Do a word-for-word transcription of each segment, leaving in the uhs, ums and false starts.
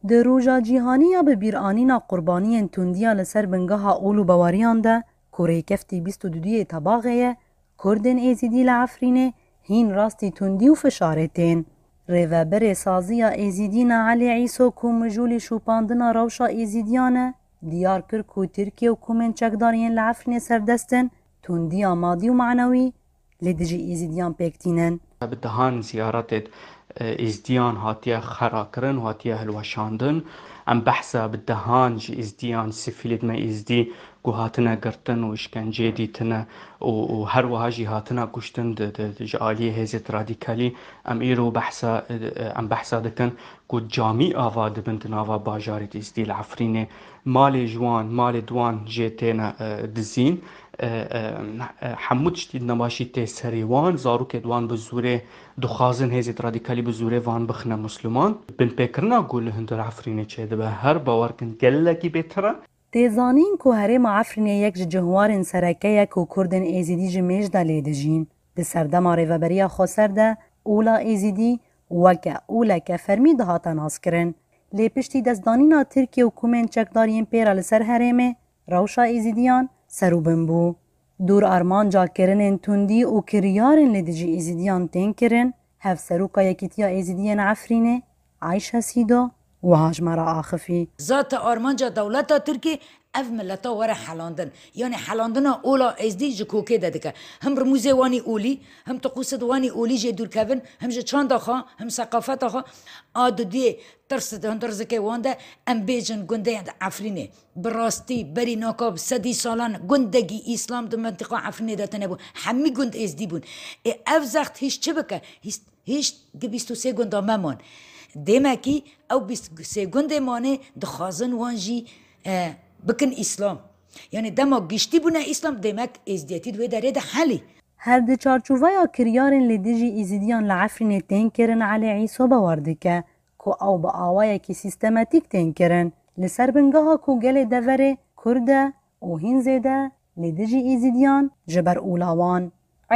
Di roja cîhanî ya bi bîranîna qurbaniyên tundiya li ser bingeha ol û baweriyan de, ku rêkeftî bîst û duyê Tebaxê ye, Kurdên Êzîdî li Efrînê hîn rastî tundî û fişarê tên. Rêveberê saziya Êzîdî Naelê Îso ku mijûlî şopandina rewşa Êzîdiyan e, diyar kir ku Tirkiye û komên çekdar yên li Efrînê serdest in, tundiya madî û manewî li dijî Êzîdiyan pêk tînin. Bi dehan ziyaretê, e, Êzdiyan hatiye xera kirin, hatiye hilweşandin. Em behsa bi dehan ji Êzdiyan, sivîlê me Êzdî ku hatine girtin û îşkenceyê dîtine û, û her wiha jî hatine kuştin di, di, di, ji aliyê hêzê radîkalî. Em îro behsa, e, em behsa dikin ku camî ava dibin di nava bajarê Êzdî li Efrînê. Malê ji wan, malê di wan jê têne, e, dizîn. E, e, e, hemû tiştî nebaşî tê serê wan, zarokê di wan bi zûrê dixwazin hêzê radîkalî bi zûrê van bixine Musliman. Binpêkirina ku li hundir Efrînê çêdibe her bawer kin gelekî bêtir e. Tê zanîn ku herêma Efrînê yek ji cihwarên sereke ye ku Kurdên Êzîdî ji mêj de lê dijîn. Di serdema rêveberiya xweser de ola Êzîdî weke oleke fermî dihate naskirin. Lê piştî destdanîna Tirkiye û komên çekdar yên pê re li ser herêmê, rewşa Êzîdiyan ser û bin bû. Dûr armanca kirinên tundî û kiryarên li dijî Êzîdiyan tên kirin, Hevseroka Yekîtiya Êzîdiyên Efrînê, Ayşe Sîdo, wiha ji me re axifî. Zate armanca dewleta Tirkî ev mileta were helandin. Yanî helandina ola Êzdî ji kokê de dike. Him rimûzê wanî olî, him tiqûsê di wanî olî jê dûr kevin, him ji çanda xwe, him seqafeta xwe. A dudiyê tirs di hundir zikê wan de, em bêjin gundê Efrînê. Bi rastî, berî naka bi sedî salan gundekî îslam di mentiqa Efrînê de tune bû. Hemî gund êzdî bûn. Ê ev zext hîş çi bike? Hîs-, hîş di bîst û sê gunda me man. Dêmekî ew bîst û sê gundê manê dixwazin wan jî, e, bikin îslam. Yanî dema giştî bûne îslam, dêmek êzdiyetî di wê derê de helî. Her di çarçoveya kiryarên li dijî Êzidiyan li Efrînê tên kirin Elî Îso bawer dike ku ew bi awayekî sîstematîk tên kirin, li ser bingeha ku gelê deverê Kurd e û hîn zêde li dijî Êzidiyan ji ber ola wan.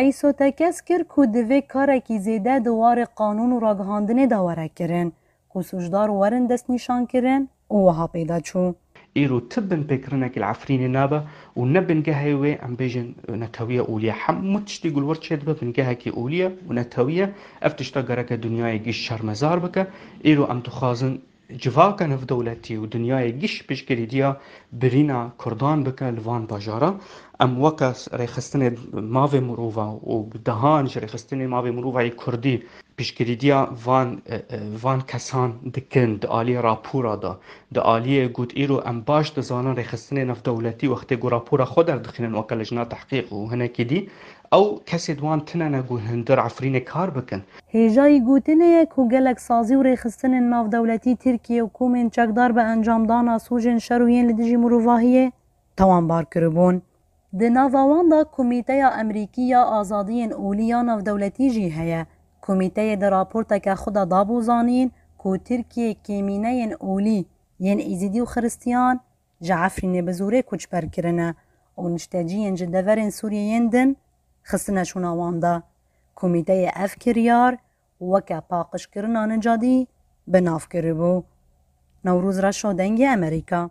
Îso tekez kir ku divê karekî zêde di warê qanûn û ragihandinê de were kirin, ku sûcdar werin destnîşankirin û wiha pê de çû. Îro ti binpêkirinekî li Efrînê nebe û ne bingehê wê, em bêjin, netewiye olî ye. Hemû tiştî ku li wir çêdibe bingehekî olî ye û netewî ye. Ev tişta gereke dinyayê gîş şermezar bike. Îro em dixwazin civaka navdewletî û dinyayê gîş piştgirîdiya birîna Kurdan bike li van bajara. Em weke rêxistinê mavê mirova û bi dehan ji rêxistinê mavê mirova yê Kurdî piştgirîdiya van, e, e, van kesan dikin di aliyê rapora de. Di aliyê got, îro em baş dizanin rêxistinê navdewletî wextê ku rapora xwe derdixînin weke lijna tehqîq û hinekî dî, ew kesê di wan tune ne ku hundir Efrînê kar bikin. Hêjayî gotinê ye ku gelek sazî û rêxistinên navdewletî Tirkiye û komên çekdar bi encamdana sûcên şer û yên li dijî mirovahiyê tawanbar kiribûn. Di nava wan de Komîteya Emerîkî ya Azadiyên Olî ya Navdewletî jî heye. Komîteyê di raporteke xwe de dabû zanîn ku Tirkiye kêmîneyên olî yên Êzidî û Xiristiyan ji Efrînê bi zorê koçber kirine û nişteciyên ji deverên Sûriyê yên din xistine şûna wan de. Komîteyê ev kiryar weke paqijkirina nicadî bi nav kiribû. Newroz Reşo, Dengê Emerîka.